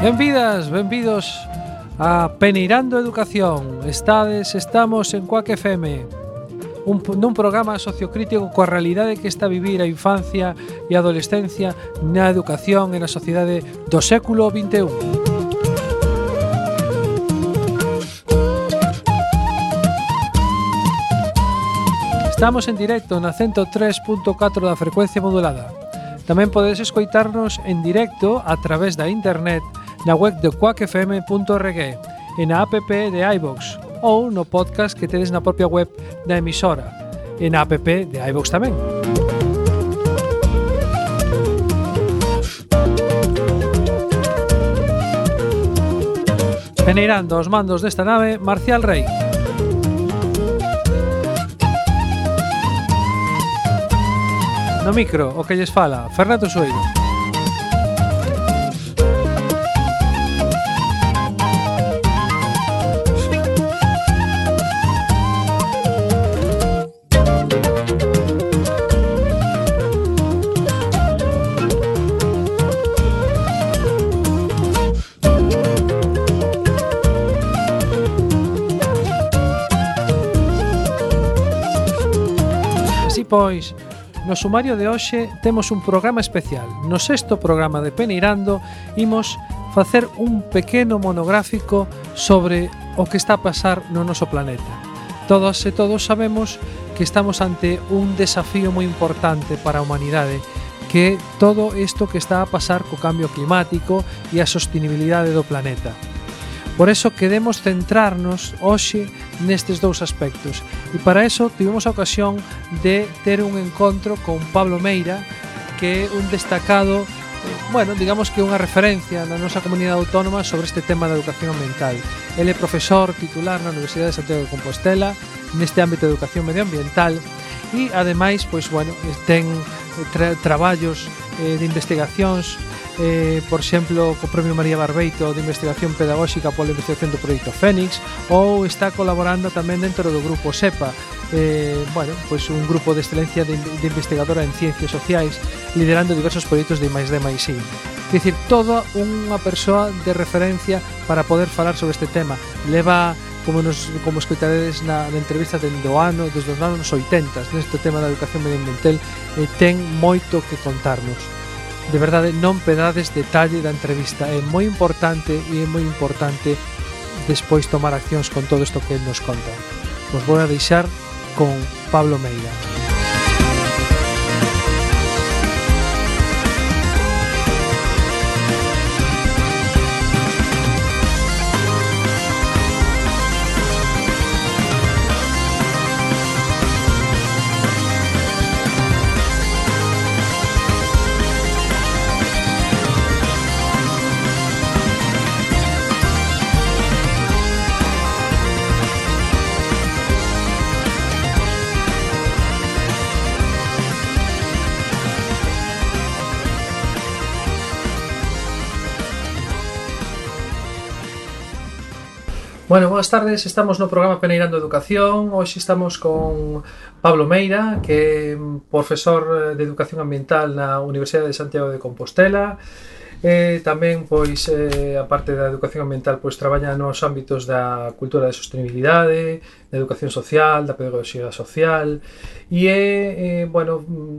Benvidas, benvidos a Peneirando Educación. Estamos en Cuac FM, nun programa sociocrítico coa realidade que está a vivir a infancia e a adolescencia na educación e na sociedade do século XXI. Estamos en directo na 103.4 da frecuencia modulada. Tamén podedes escoitarnos en directo a través da internet na web de quackfm.org e na app de iVox ou no podcast que tedes na propia web da emisora e na app de iVox tamén. Peneirando os mandos desta nave, Marcial Rey. No micro, o que lles fala, Fernando Sueiro. Así pois, no sumario de hoxe temos un programa especial. No sexto programa de Peneirando imos facer un pequeno monográfico sobre o que está a pasar no noso planeta. Todas e todos sabemos que estamos ante un desafío moi importante para a humanidade, que é todo isto que está a pasar co cambio climático e a sostenibilidade do planeta. Por eso queremos centrarnos hoxe nestes dous aspectos e para eso tivemos a ocasión de ter un encontro con Pablo Meira, que é un destacado, digamos que unha referencia na nosa comunidade autónoma sobre este tema da educación ambiental. Ele é profesor titular na Universidade de Santiago de Compostela neste ámbito de educación medioambiental e ademais, ten traballos de investigacións, por exemplo, co Premio María Barbeito de Investigación Pedagóxica pola investigación do Proxecto Fénix, ou está colaborando tamén dentro do grupo SEPA, un grupo de excelencia de investigadora en ciencias sociais, liderando diversos proxectos de I+D+I. É dicir, toda unha persoa de referencia para poder falar sobre este tema. Leva, como escoitaredes na entrevista desde os anos 80 neste tema da educación medioambiental, ten moito que contarnos. De verdade, non pedades detalle da entrevista, é moi importante despois tomar accións con todo isto que nos conta. Vos vou a deixar con Pablo Meira. Boas tardes, estamos no programa Peneirando Educación. Hoxe estamos con Pablo Meira, que é profesor de Educación Ambiental na Universidade de Santiago de Compostela. Tamén, a parte da educación ambiental, traballa nos ámbitos da cultura de sostenibilidade, da educación social, da pedagogía social e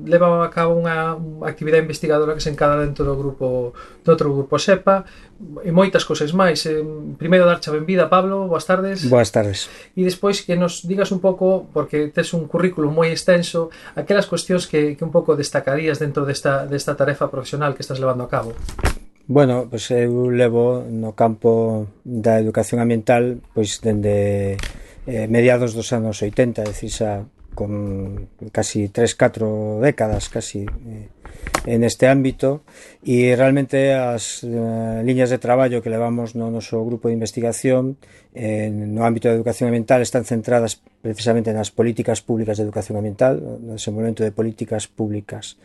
leva a cabo unha actividade investigadora que se encada dentro do outro grupo SEPA e moitas cousas máis. Primeiro, darche a benvida, Pablo, boas tardes. Boas tardes. E despois que nos digas un pouco, porque tes un currículum moi extenso, aquelas cuestións que un pouco destacarías dentro desta tarefa profesional que estás levando a cabo. Eu levo no campo da educación ambiental dende mediados dos anos 80, é dicir, xa con casi 3-4 décadas en este ámbito, e realmente as liñas de traballo que levamos no noso grupo de investigación no ámbito da educación ambiental están centradas precisamente nas políticas públicas de educación ambiental, no desenvolvemento de políticas públicas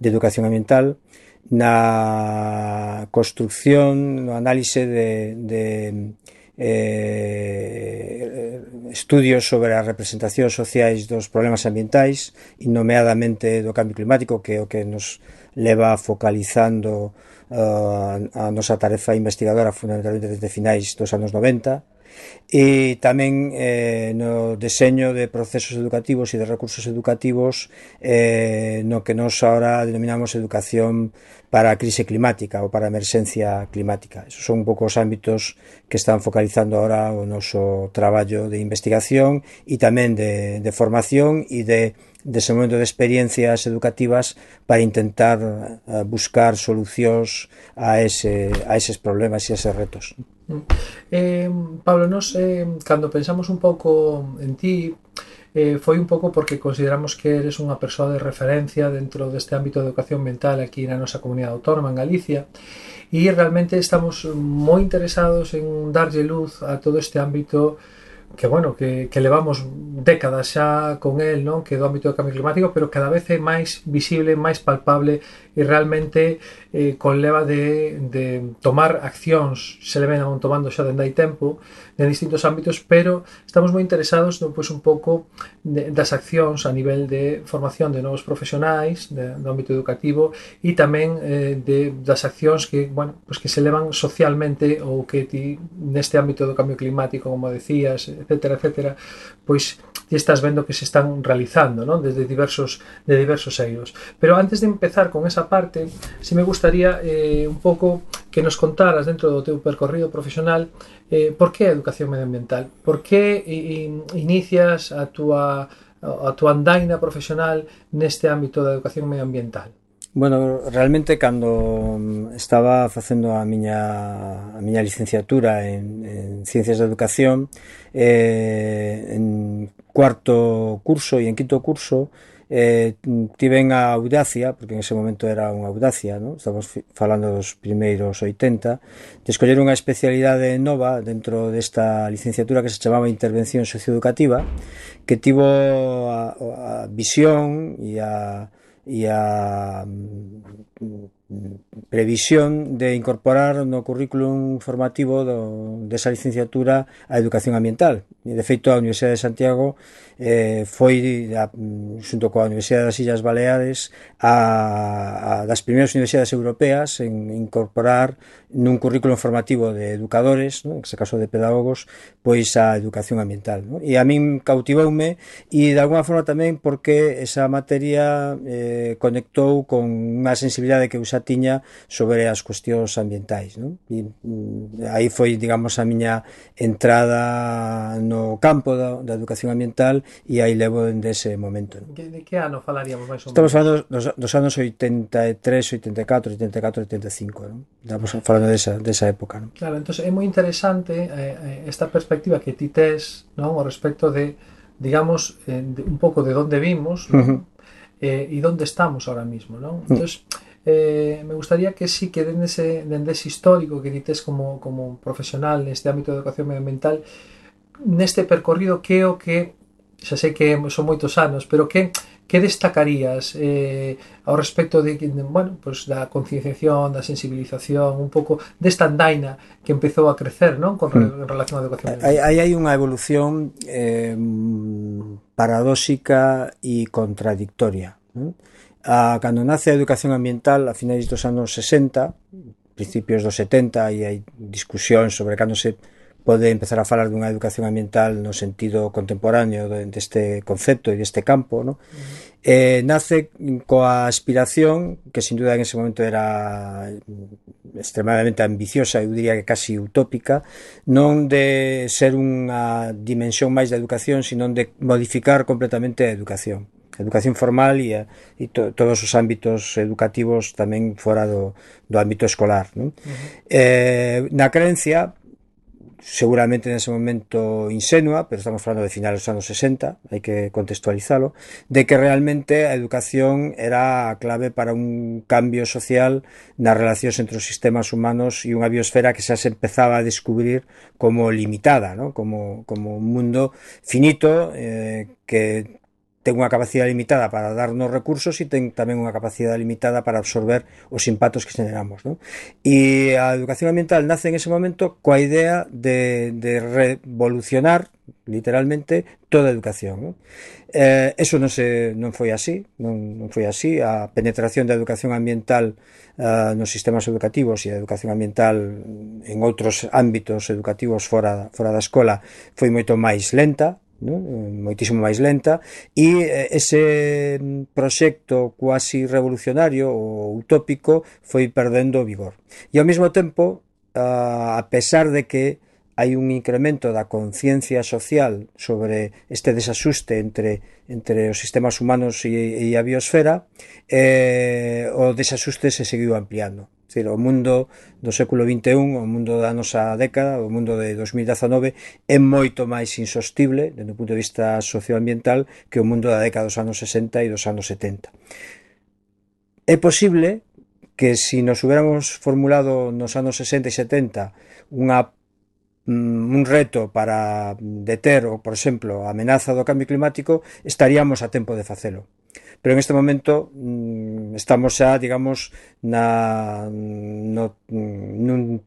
de educación ambiental, na construcción, no análise de estudios sobre as representacións sociais dos problemas ambientais e nomeadamente do cambio climático, que é o que nos leva focalizando a nosa tarefa investigadora fundamentalmente desde finais dos anos 90, e tamén no deseño de procesos educativos e de recursos educativos no que nos ahora denominamos educación para a crise climática ou para a emerxencia climática. Esos son un pouco os ámbitos que están focalizando ahora o noso traballo de investigación e tamén de formación e de desenvolvemento de experiencias educativas para intentar buscar solucións a eses problemas e a eses retos. Pablo, nos cando pensamos un pouco en ti, foi un pouco porque consideramos que eres unha persoa de referencia dentro deste ámbito de educación mental aquí na nosa comunidade autónoma en Galicia, e realmente estamos moi interesados en darlle luz a todo este ámbito que, bueno, que levamos décadas xa con el, non? Que do ámbito do cambio climático, pero cada vez é máis visible, máis palpable e realmente conleva de tomar accións, se le ven tomando xa dende hai tempo en distintos ámbitos, pero estamos moi interesados pois, un pouco das accións a nivel de formación de novos profesionais do ámbito educativo e tamén das accións que, bueno, pois que se levan socialmente ou que ti, neste ámbito do cambio climático, como decías, etcétera, etcétera, pois ti estás vendo que se están realizando, non? Desde diversos eidos. Pero antes de empezar con esa parte, si me gustaría un pouco que nos contaras dentro do teu percorrido profesional por que a educación medioambiental? Por que inicias a túa andaina profesional neste ámbito da educación medioambiental? Bueno, realmente cando estaba facendo a miña licenciatura en Ciencias da Educación, en cuarto curso e en quinto curso, tiven a audacia, porque en ese momento era unha audacia, ¿no? Estamos falando dos primeiros 80, de escoller unha especialidade nova dentro desta licenciatura que se chamaba Intervención Socioeducativa, que tivo a visión e a previsión de incorporar no currículum formativo desa licenciatura a educación ambiental. E, de feito, a Universidade de Santiago foi, xunto coa Universidade das Illas Baleares, a das primeiras universidades europeas en incorporar nun currículum formativo de educadores, ¿no? En este caso de pedagogos, pois a educación ambiental, ¿no? E a min cautivoume, e de alguna forma tamén porque esa materia conectou con unha sensibilidade que eu xa tiña sobre as cuestións ambientais, ¿no? E aí foi, digamos, a miña entrada no campo da educación ambiental, e aí levo dese momento, ¿no? De que ano falaríamos máis ou menos? Estamos falando dos anos 83, 84, 84, 85, ¿no? Estamos falando desa época, ¿no? Claro, entón é moi interesante esta perspectiva que ti tes, non, ao respecto de, digamos, un pouco de onde vimos, non? E onde estamos ahora mismo, non? Entón, me gustaría que sí que dende ese histórico que ti tes como profesional neste ámbito de educación medioambiental, neste percorrido, que o que, xa sei que son moitos anos, pero que destacarías ao respecto de, bueno, pues da concienciación, da sensibilización, un pouco desta andaina que empezou a crecer, non? En relación á educación medioambiental. Aí hai unha evolución paradóxica e contradictoria, non? Cando nace a educación ambiental a finais dos anos 60, principios dos 70, e hai discusións sobre cando se pode empezar a falar dunha educación ambiental no sentido contemporáneo deste concepto e deste campo, ¿no? Nace coa aspiración, que sin duda en ese momento era extremadamente ambiciosa, eu diría que casi utópica, non de ser unha dimensión máis da educación, sino de modificar completamente a educación formal e todos os ámbitos educativos tamén fora do ámbito escolar, ¿no? Na creencia, seguramente nese momento insenua, pero estamos falando de finales dos anos 60, hai que contextualizalo, de que realmente a educación era a clave para un cambio social nas relacións entre os sistemas humanos e unha biosfera que xa se empezaba a descubrir como limitada, ¿no? Como un mundo finito, que ten unha capacidade limitada para darnos recursos e ten tamén unha capacidade limitada para absorber os impactos que generamos, non? E a educación ambiental nace en ese momento coa idea de revolucionar literalmente toda a educación, non? Eso non foi así, non foi así. A penetración da educación ambiental nos sistemas educativos e a educación ambiental en outros ámbitos educativos fora da escola foi moito máis lenta, non? Moitísimo máis lenta, e ese proxecto cuasi revolucionario ou utópico foi perdendo vigor. E ao mesmo tempo, a pesar de que hai un incremento da conciencia social sobre este desasuste entre os sistemas humanos e a biosfera, o desasuste se seguiu ampliando. É dicir, o mundo do século XXI, o mundo da nosa década, o mundo de 2019, é moito máis insostible, desde o punto de vista socioambiental, que o mundo da década dos anos 60 e dos anos 70. É posible que se nos hubiéramos formulado nos anos 60 e 70 un reto para deter, ou, por exemplo, a amenaza do cambio climático, estaríamos a tempo de facelo. Pero en este momento estamos xa, digamos, nun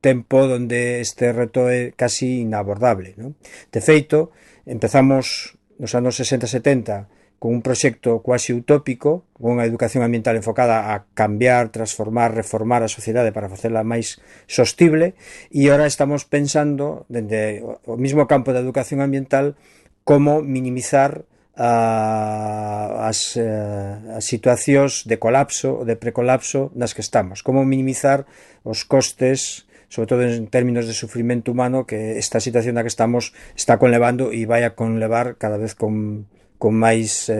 tempo onde este reto é casi inabordable, non? De feito, empezamos nos anos 60-70 con un proxecto quasi utópico, con unha educación ambiental enfocada a cambiar, transformar, reformar a sociedade para facela máis sostible, e agora estamos pensando, dende o mismo campo da educación ambiental, como minimizar as situacións de colapso ou de precolapso nas que estamos, como minimizar os costes, sobre todo en términos de sufrimento humano, que esta situación na que estamos está conlevando e vai a conlevar cada vez con máis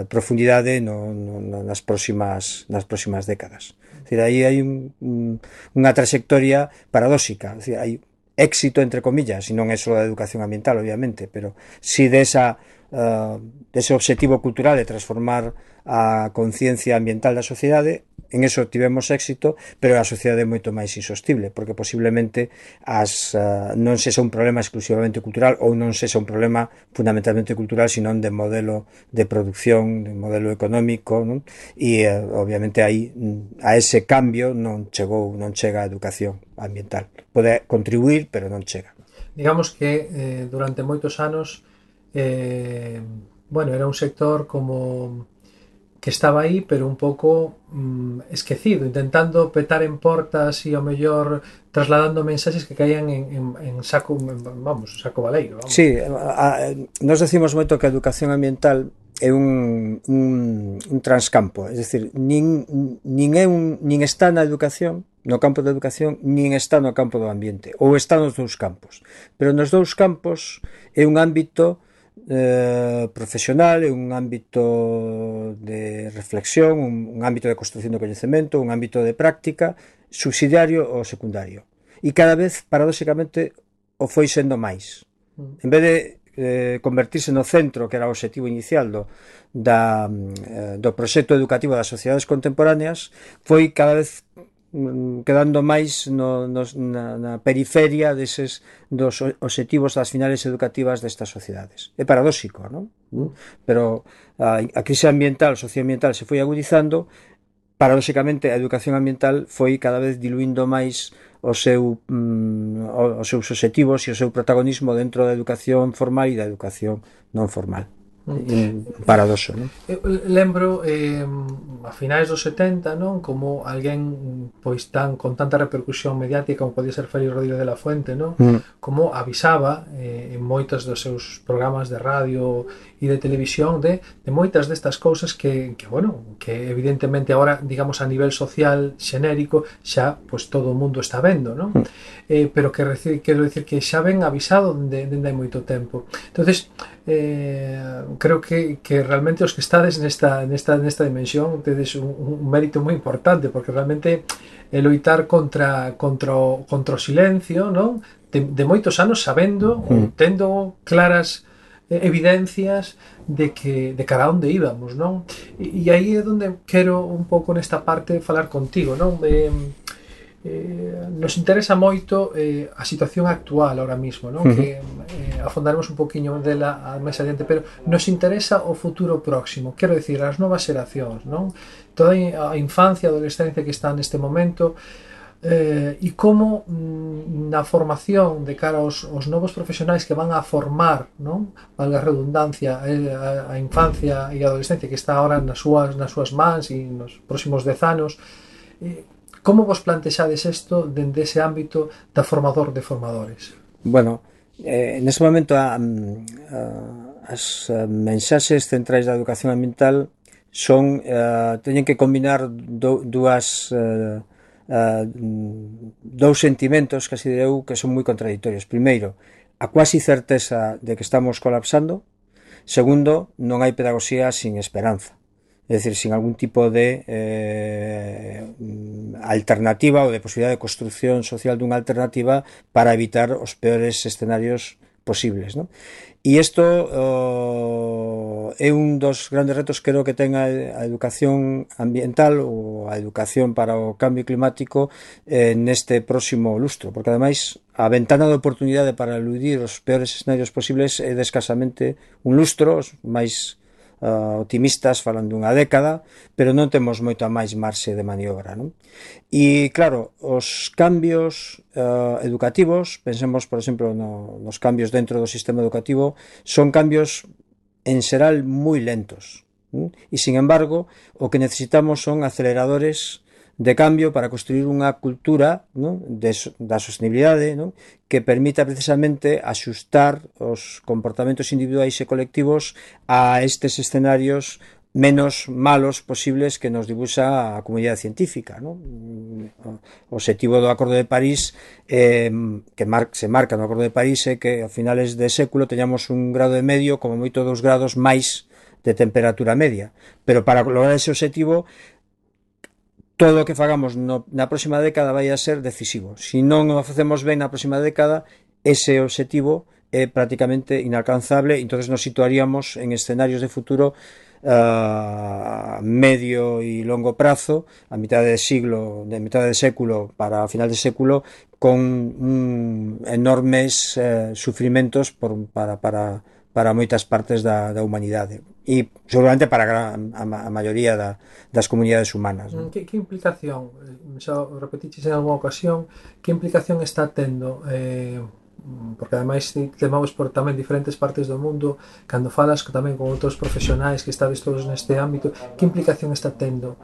profundidade nas próximas décadas. É dicir, aí hai unha trayectoria paradóxica. É dicir, hai éxito, entre comillas, e non é só da educación ambiental, obviamente, pero si dese obxectivo cultural de transformar a conciencia ambiental da sociedade, en eso tivemos éxito, pero a sociedade é moito máis insostible, porque posiblemente non sexa un problema exclusivamente cultural, ou non sexa un problema fundamentalmente cultural, senón de modelo de producción, de modelo económico, non? E obviamente aí a ese cambio non chega a educación ambiental. Pode contribuir, pero non chega. Digamos que durante moitos anos era un sector como que estaba aí, pero un pouco esquecido, intentando petar en portas e ao mellor trasladando mensaxes que caían en saco baleiro. Vamos. Sí, nos decimos moito que a educación ambiental é un transcampo, é dicir, nin está na educación, no campo da educación, nin está no campo do ambiente, ou está nos dous campos, pero nos dous campos é un ámbito profesional, é un ámbito de reflexión, un ámbito de construcción do coñecemento, un ámbito de práctica subsidiario ou secundario, e cada vez, paradóxicamente, o foi sendo máis. En vez de convertirse no centro, que era o objetivo inicial do proxecto educativo das sociedades contemporáneas, foi cada vez quedando máis na periferia dos obxectivos das finales educativas destas sociedades. É paradóxico, non? Pero a crise ambiental, socioambiental se foi agudizando. Paradóxicamente, a educación ambiental foi cada vez diluindo máis os seus obxectivos e o seu protagonismo dentro da educación formal e da educación non formal. Un paradoxo, non? Eu lembro a finais dos 70, non, como alguén pois con tanta repercusión mediática como podía ser Félix Rodríguez de la Fuente, non, como avisaba en moitos dos seus programas de radio e de televisión de moitas destas cousas que evidentemente agora, digamos, a nivel social xenérico xa pois todo o mundo está vendo, non? Pero quero dicir que xa ven avisado dende hai moito tempo. Entonces, creo que realmente os que estades nesta dimensión tedes un mérito moi importante, porque realmente loitar contra o silencio, non? De moitos anos sabendo, tendo claras evidencias de cara a onde íbamos, non? E aí é onde quero un pouco nesta parte falar contigo, non? nos interesa moito a situación actual ahora mismo, non? Que afondaremos un poquinho dela máis adiante, pero nos interesa o futuro próximo, quero dicir, as novas xeracións, non? Toda a infancia, a adolescencia que está neste momento, e como na formación de cara aos novos profesionais que van a formar, non? Valga a redundancia, a infancia e a adolescencia que está ahora nas súas mans e nos próximos 10 anos, como vos plantexades isto dende ese ámbito da formador de formadores? Bueno, nese momento as mensaxes centrais da educación ambiental son teñen que combinar dous sentimentos, casi direu, que son moi contradictorios. Primeiro, a cuasi certeza de que estamos colapsando. Segundo, non hai pedagogía sin esperanza, é dicir, sin algún tipo de alternativa ou de posibilidade de construcción social dunha alternativa para evitar os peores escenarios posibles, non? E isto é un dos grandes retos, creo, que ten a educación ambiental ou a educación para o cambio climático neste próximo lustro, porque ademais a ventana de oportunidade para eludir os peores escenarios posibles é de escasamente un lustro, os máis optimistas falan dunha década, pero non temos moita máis marxe de maniobra, non? E claro, os cambios educativos, pensemos por exemplo nos cambios dentro do sistema educativo, son cambios en xeral moi lentos, non? E sin embargo o que necesitamos son aceleradores de cambio para construir unha cultura, non? Da sostenibilidade, non? Que permita precisamente axustar os comportamentos individuais e colectivos a estes escenarios menos malos posibles que nos dibuxa a comunidade científica, non? O obxectivo do Acordo de París que se marca no Acordo de París é que a finales de século teñamos un grado e medio, como moito 2 grados máis de temperatura media, pero para lograr ese obxectivo todo o que fagamos na próxima década vai a ser decisivo. Se non o facemos ben na próxima década, ese obxectivo é prácticamente inalcanzable, entonces nos situaríamos en escenarios de futuro a medio e longo prazo, a mitade de século para a final de século, con enormes sufrimentos para moitas partes da humanidade e seguramente para a maioría das comunidades humanas, non? Que implicación, xa repetiches en algunha ocasión, que implicación está tendo, porque ademais temos por tamén diferentes partes do mundo, cando falas tamén con outros profesionais que estades todos neste ámbito, que implicación está tendo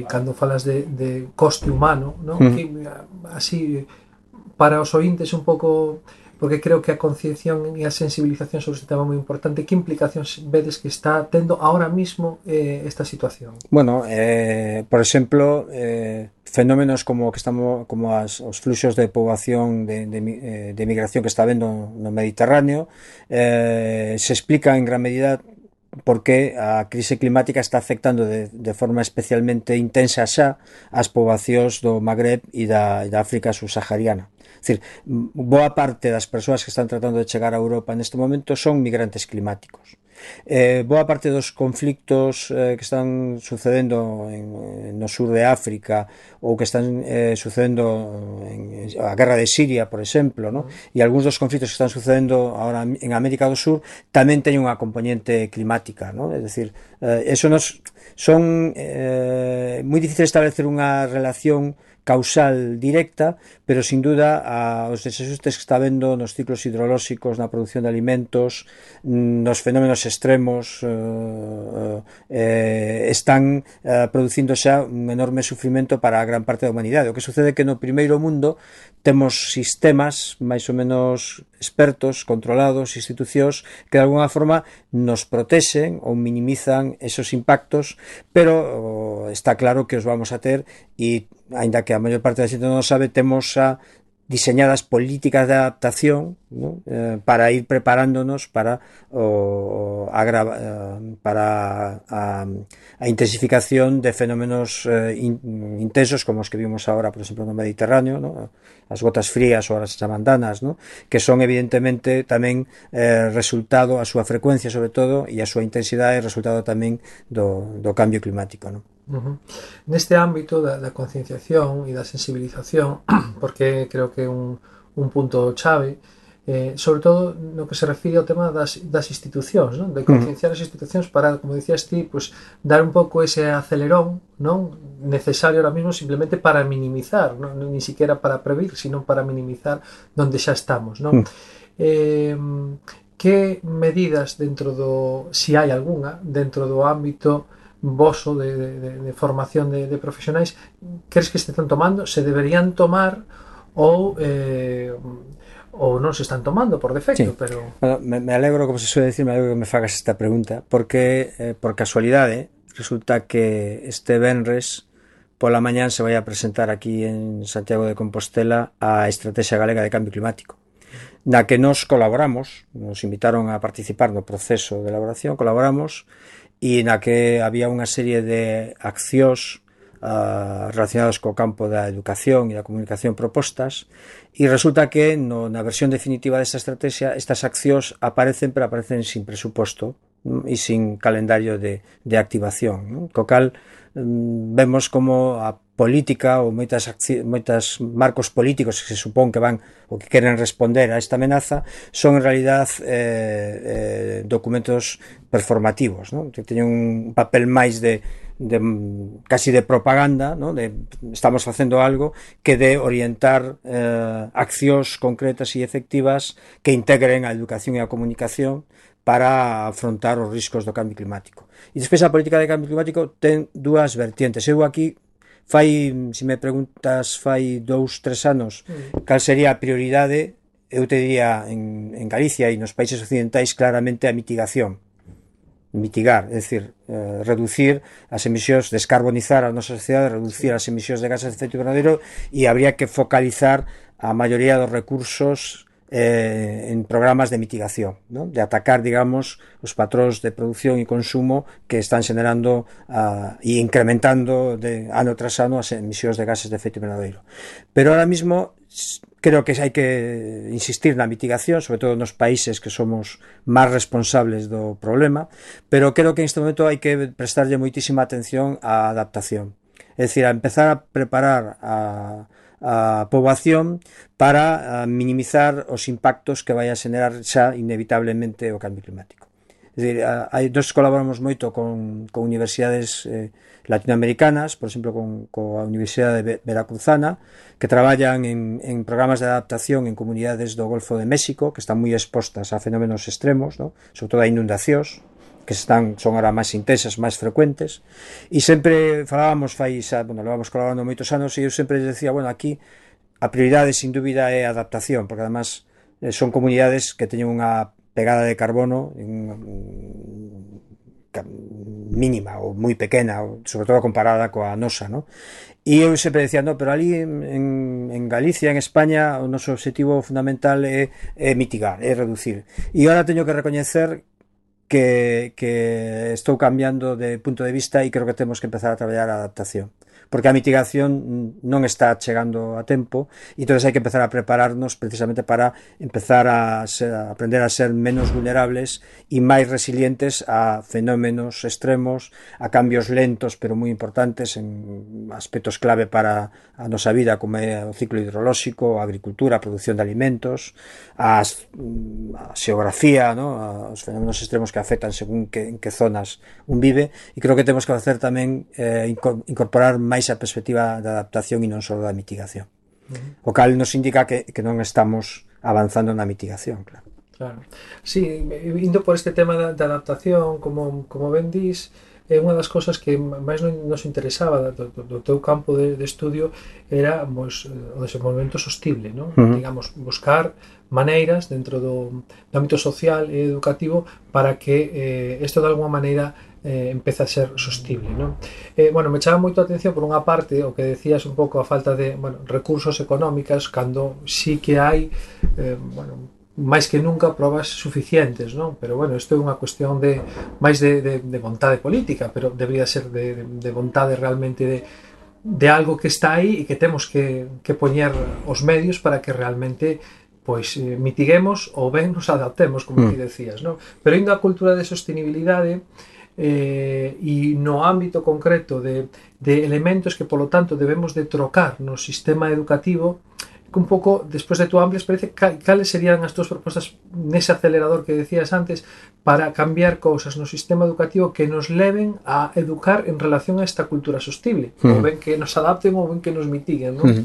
cando falas de coste humano, non? Que, así, para os ointes un pouco, porque creo que a concienciación e a sensibilización sobre este tema é moi importante. Que implicacións vedes que está tendo ahora mismo esta situación? Bueno, por exemplo, fenómenos como os fluxos de poboación de migración que está habendo no Mediterráneo se explica en gran medida porque a crise climática está afectando de forma especialmente intensa xa as poboacións do Magreb e da África subsahariana. É dicir, boa parte das persoas que están tratando de chegar a Europa neste momento son migrantes climáticos. Boa parte dos conflictos que están sucedendo no sur de África ou que están sucedendo a guerra de Siria, por exemplo, ¿no? E algúns dos conflictos que están sucedendo ahora en América do Sur tamén teñen unha componente climática, ¿no? É dicir, son moi difícil establecer unha relación causal directa, pero sin duda os desajustes que está habendo nos ciclos hidrolóxicos, na produción de alimentos, nos fenómenos extremos están producindo xa un enorme sufrimento para a gran parte da humanidade. O que sucede é que no primeiro mundo temos sistemas máis ou menos expertos, controlados, institucións que de alguna forma nos protexen ou minimizan esos impactos, pero está claro que os vamos a ter e aínda que a maior parte da xente non o sabe, temos xa diseñadas políticas de adaptación, ¿no? Para ir preparándonos para a intensificación de fenómenos intensos como os que vimos ahora, por exemplo, no Mediterráneo, ¿no? As gotas frías ou as chamandanas, ¿no? Que son evidentemente tamén resultado, a súa frecuencia sobre todo e a súa intensidade resultado tamén do cambio climático, ¿no? Neste ámbito da concienciación e da sensibilización, porque creo que é un punto chave, sobre todo no que se refire ao tema das institucións, non? De concienciar as institucións para, como dicías ti, pues, dar un pouco ese acelerón, non? Necesario ahora mismo simplemente para minimizar, non? Ni siquiera para prevenir, sino para minimizar donde xa estamos, non? Que medidas dentro do, si hai algunha, dentro do ámbito voso de formación de profesionais, crees que se están tomando, se deberían tomar ou non se están tomando por defecto? Sí. Pero bueno, me alegro, como se suele decir, me alegro que me fagas esta pregunta, porque por casualidade resulta que este venres pola mañán se vai a presentar aquí en Santiago de Compostela a Estrategia Galega de Cambio Climático, na que nos colaboramos, nos invitaron a participar no proceso de elaboración, colaboramos, e na que había unha serie de accións relacionadas co campo da educación e da comunicación propostas, e resulta que na versión definitiva desta estrategia estas accións aparecen, pero aparecen sin presuposto e sin calendario de activación, non? Co cal vemos como a política ou moitas marcos políticos que se supón que van ou que queren responder a esta amenaza son en realidad documentos performativos, non? Que teñen un papel máis de casi de propaganda, non? Estamos facendo algo que de orientar accións concretas e efectivas que integren a educación e a comunicación para afrontar os riscos do cambio climático. E despois a política de cambio climático ten dúas vertientes. Eu aquí se me preguntas, fai 2-3 anos cal sería a prioridade, eu te diría en Galicia e nos países occidentais claramente a mitigación. Mitigar, é dicir, reducir as emisións, descarbonizar a nosa sociedade, reducir as emisións de gases de efecto invernadoiro, e habría que focalizar a maioría dos recursos en programas de mitigación, ¿no? De atacar, digamos, os patróns de producción e consumo que están xenerando e incrementando ano tras ano as emisións de gases de efecto invernadoiro. Pero ahora mismo creo que hai que insistir na mitigación, sobre todo nos países que somos máis responsables do problema, pero creo que en este momento hai que prestarlle moitísima atención á adaptación. É dicir, a empezar a preparar a poboación para minimizar os impactos que vai a xenerar xa inevitablemente o cambio climático. É dicir, nós colaboramos moito con universidades latinoamericanas, por exemplo coa Universidade de Veracruzana, que traballan en programas de adaptación en comunidades do Golfo de México que están moi expostas a fenómenos extremos, ¿no? Sobre todo a inundacións que son agora máis intensas, máis frecuentes, e sempre falábamos, levamos colaborando moitos anos, e eu sempre decía, aquí a prioridade sin dúbida é a adaptación, porque además son comunidades que teñen unha pegada de carbono mínima ou moi pequena, sobre todo comparada coa nosa, ¿no? E eu sempre decía, pero ali en Galicia, en España, o noso objetivo fundamental é mitigar, é reducir. E agora teño que recoñecer que estou cambiando de punto de vista e creo que temos que empezar a traballar a adaptación, porque a mitigación non está chegando a tempo e entón hai que empezar a prepararnos precisamente para empezar a aprender a ser menos vulnerables e máis resilientes a fenómenos extremos, a cambios lentos pero moi importantes en aspectos clave para a nosa vida, como é o ciclo hidrolóxico, a agricultura, a produción de alimentos, a xeografía, ¿no? Os fenómenos extremos que afectan según en que zonas un vive, e creo que temos que facer tamén incorporar máis a perspectiva da adaptación e non só da mitigación. O cal nos indica que non estamos avanzando na mitigación, claro. Claro. Sí, indo por este tema da adaptación, como ben dis, é unha das cousas que máis nos interesaba do teu campo de estudio era o desenvolvemento sostible, non? Digamos, buscar maneiras dentro do ámbito social e educativo para que isto de alguma maneira empeza a ser sostible, non? Me chama moito a atención por unha parte o que decías un pouco a falta de recursos económicos cando sí que hai máis que nunca probas suficientes, non? Pero isto é unha cuestión máis de vontade política, pero debería ser de vontade realmente de algo que está aí e que temos que poñer os medios para que realmente mitiguemos ou ben nos adaptemos, como ti decías, non? Pero indo á cultura de sostenibilidade, e no ámbito concreto de elementos que polo tanto debemos de trocar no sistema educativo, que un pouco, despois de túa amplia experiencia, cales serían as túas propostas nese acelerador que decías antes para cambiar cousas no sistema educativo que nos leven a educar en relación a esta cultura sostible, ou ben que nos adapten ou ben que nos mitiguen, non?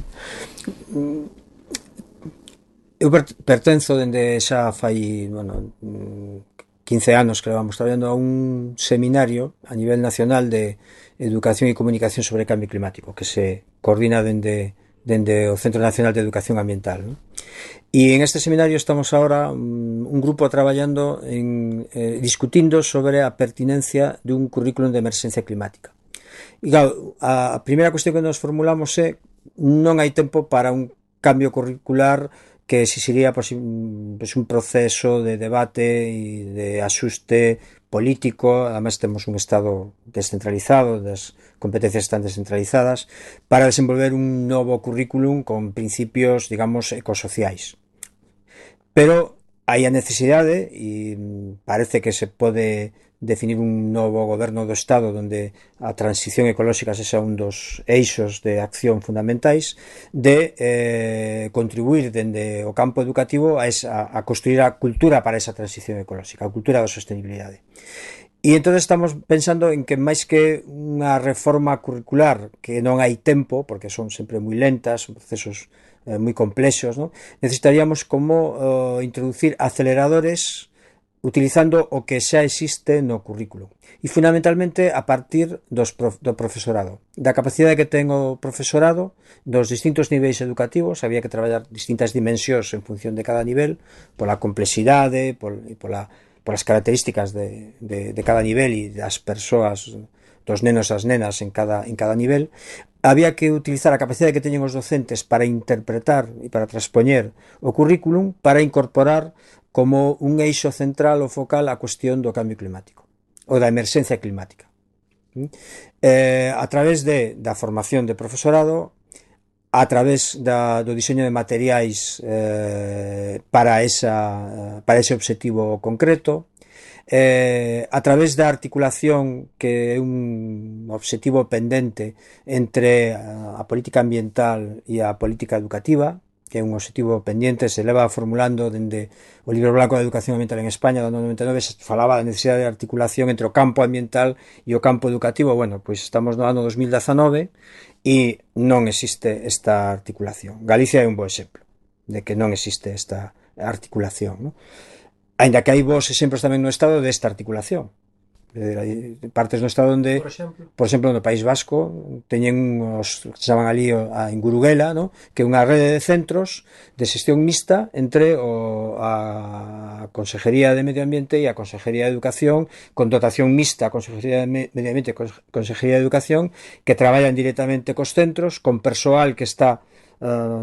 Eu pertenzo dende xa fai 15 anos que vamos traballando a un seminario a nivel nacional de educación e comunicación sobre cambio climático que se coordina dende o Centro Nacional de Educación Ambiental, ¿no? Y en este seminario estamos ahora un grupo traballando discutindo sobre a pertinencia de un currículum de emerxencia climática. E claro, a primeira cuestión que nos formulamos é non hai tempo para un cambio curricular que exixiría pues, un proceso de debate e de axuste político. Además temos un Estado descentralizado, das competencias están descentralizadas, para desenvolver un novo currículum con principios, digamos, ecosociais. Pero hai a necesidade, e parece que se pode definir un novo goberno do Estado onde a transición ecolóxica sexa un dos eixos de acción fundamentais, de contribuir dende o campo educativo a construir a cultura para esa transición ecolóxica, a cultura da sostenibilidade. E entón estamos pensando en que máis que unha reforma curricular, que non hai tempo, porque son sempre moi lentas, son procesos moi complexos, ¿no? Necesitaríamos como introducir aceleradores utilizando o que xa existe no currículo e fundamentalmente a partir do profesorado, da capacidade que ten o profesorado dos distintos niveis educativos. Había que traballar distintas dimensións en función de cada nivel, pola complexidade e polas características de cada nivel e das persoas, dos nenos e as nenas en cada nivel. Había que utilizar a capacidade que teñen os docentes para interpretar e para transpoñer o currículum, para incorporar como un eixo central ou focal a cuestión do cambio climático ou da emerxencia climática, a través da formación de profesorado, a través do diseño de materiais para ese obxectivo concreto, a través da articulación, que é un obxectivo pendente entre a política ambiental e a política educativa, que é un obxectivo pendiente, se leva formulando dende o Libro Blanco de Educación Ambiental en España do ano 99, se falaba da necesidade de articulación entre o campo ambiental e o campo educativo. Bueno, pois estamos no ano 2019 e non existe esta articulación. Galicia é un bo exemplo de que non existe esta articulación, ¿no? Ainda que hai bons exemplos tamén no Estado desta articulación. Hai partes do Estado onde, por exemplo, no País Vasco teñen os que se chaman ali en Guruguela, ¿no? Que é unha rede de centros de xestión mixta entre a Consejería de Medio Ambiente e a Consejería de Educación, con dotación mixta a Consejería de Medio Ambiente e Consejería de Educación, que traballan directamente cos centros, con persoal que está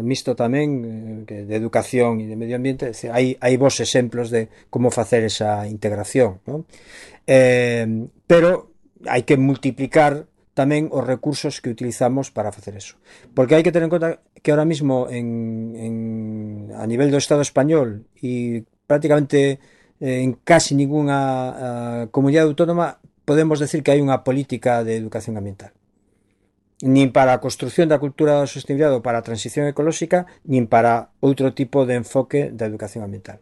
mixto tamén de educación e de medio ambiente. Hai vos exemplos de como facer esa integración, ¿no? Pero hai que multiplicar tamén os recursos que utilizamos para facer eso, porque hai que ter en conta que ahora mismo a nivel do Estado español e prácticamente en casi ninguna comunidade autónoma podemos decir que hai unha política de educación ambiental, nin para a construción da cultura da sostenibilidade ou para a transición ecolóxica, nin para outro tipo de enfoque da educación ambiental.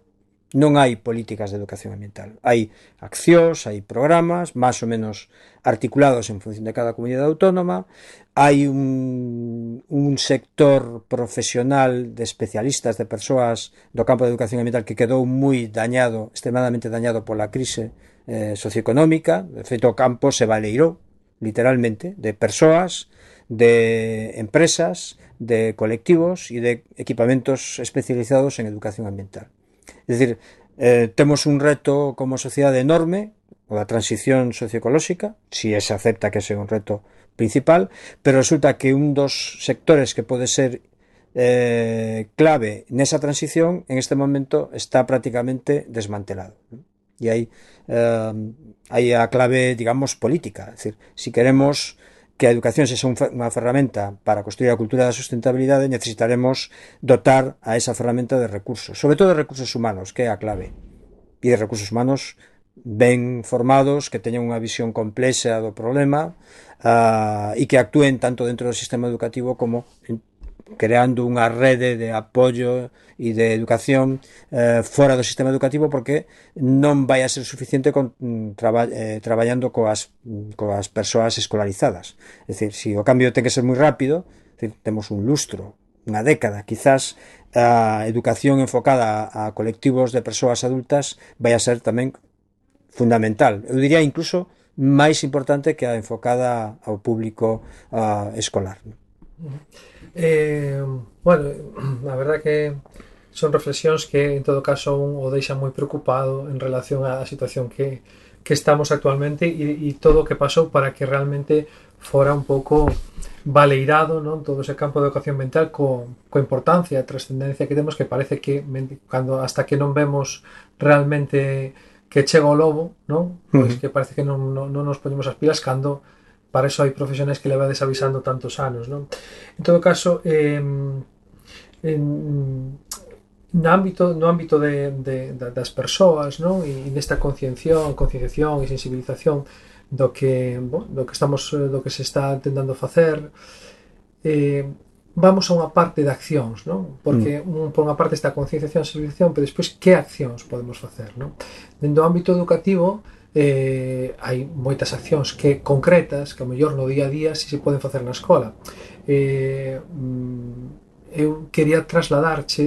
Non hai políticas de educación ambiental. Hai accións, hai programas máis ou menos articulados en función de cada comunidade autónoma. Hai un sector profesional de especialistas, de persoas do campo de educación ambiental que quedou moi dañado, extremadamente dañado pola crise socioeconómica. De feito, o campo se baleirou, literalmente, de persoas, de empresas, de colectivos e de equipamentos especializados en educación ambiental. É dicir, temos un reto como sociedade enorme, o da transición socioecolóxica, si se acepta que ese é un reto principal, pero resulta que un dos sectores que pode ser clave nesa transición en este momento está prácticamente desmantelado, ¿no? E hai a clave, digamos, política. É dicir, si queremos que a educación sexa unha ferramenta para construir a cultura da sustentabilidade, necesitaremos dotar a esa ferramenta de recursos, sobre todo de recursos humanos, que é a clave, e de recursos humanos ben formados, que teñan unha visión complexa do problema e que actúen tanto dentro do sistema educativo como creando unha rede de apoio e de educación fora do sistema educativo, porque non vai a ser suficiente con traballando coas persoas escolarizadas. É dicir, se o cambio ten que ser moi rápido, temos un lustro, unha década, quizás a educación enfocada a colectivos de persoas adultas vai a ser tamén fundamental. Eu diría incluso máis importante que a enfocada ao público escolar. Bueno, a verdad que son reflexións que en todo caso un o deixan moi preocupado en relación á situación que estamos actualmente e todo o que pasou para que realmente fora un pouco baleirado, non, todo ese campo de educación ambiental coa importancia e trascendencia que temos, que parece que cando hasta que non vemos realmente que chega o lobo, non? Pois que parece que non nos poñemos as pilas cando para eso hai profesionais que levades avisando tantos anos, non? En todo caso, no ámbito das persoas, non? E nesta concienciación e sensibilización do que se está tentando facer, vamos a unha parte de accións, non? Porque por unha parte está a concienciación e sensibilización, pero despois que accións podemos facer, non? Dentro do ámbito educativo hai moitas accións que concretas que ao mellor no día a día si se poden facer na escola. Eu quería trasladarche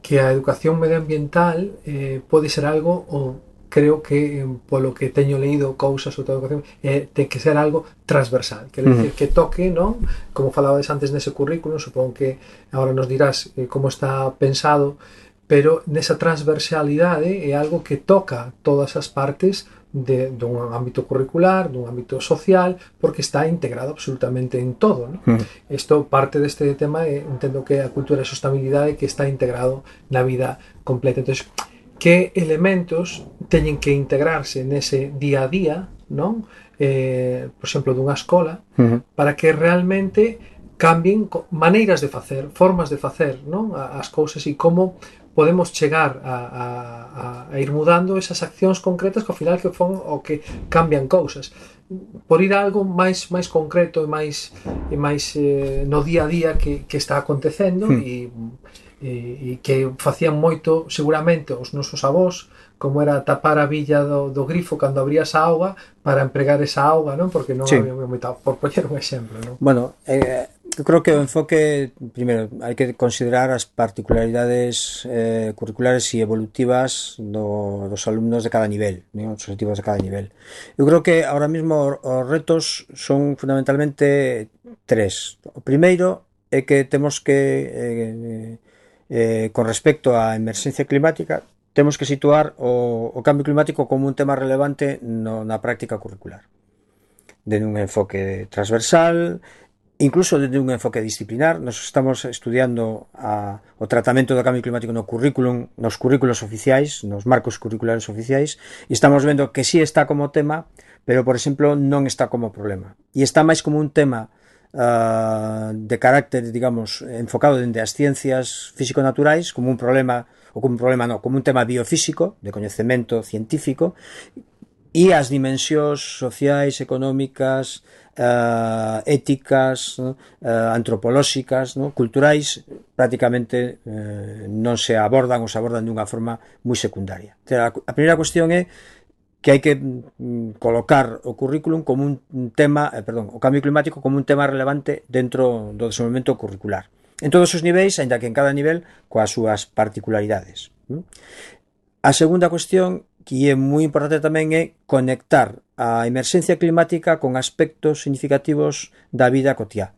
que a educación medioambiental pode ser algo, ou creo que polo que teño leído cousas sobre a educación, ten que ser algo transversal, quer decir, que toque, non? Como falabades antes nese currículum, supongo que agora nos dirás como está pensado, pero nesa transversalidade é algo que toca todas as partes dun ámbito curricular, dun ámbito social, porque está integrado absolutamente en todo, ¿no? Isto, parte deste tema, entendo que a cultura de sustentabilidade que está integrado na vida completa. Entón, que elementos teñen que integrarse nese día a día, non? Por exemplo, dunha escola, para que realmente cambien maneiras de facer, formas de facer, non? As cousas, e como podemos chegar a ir mudando esas accións concretas que ao final que fon o que cambian cousas. Por ir a algo máis concreto e máis no día a día que está acontecendo e que facían moito seguramente os nosos avós, como era tapar a billa do grifo cando abrías a auga para empregar esa auga, non? Porque non había moita, por poñer un exemplo, non? Bueno, eu creo que o enfoque, primeiro, hai que considerar as particularidades curriculares e evolutivas dos alumnos de cada nivel, non? Os objetivos de cada nivel. Eu creo que ahora mesmo os retos son fundamentalmente tres. O primeiro é que temos que, con respecto á emerxencia climática, temos que situar o cambio climático como un tema relevante na práctica curricular, dende un enfoque transversal, incluso dende un enfoque disciplinar. Nos estamos estudiando o tratamento do cambio climático no currículum, nos currículos oficiais, nos marcos curriculares oficiais, e estamos vendo que sí está como tema, pero, por exemplo, non está como problema. E está máis como un tema de carácter, digamos, enfocado dende as ciencias físico-naturais, como un problema, ou como un problema non, como un tema biofísico, de coñecemento científico, e as dimensións sociais, económicas, éticas, antropolóxicas, culturais, prácticamente non se abordan ou se abordan dunha forma moi secundaria. A primeira cuestión é que hai que colocar o currículum como un tema, o cambio climático como un tema relevante dentro do desenvolvemento curricular. En todos os niveis, aínda que en cada nivel, coas súas particularidades. A segunda cuestión, que é moi importante tamén, é conectar a emerxencia climática con aspectos significativos da vida cotiá,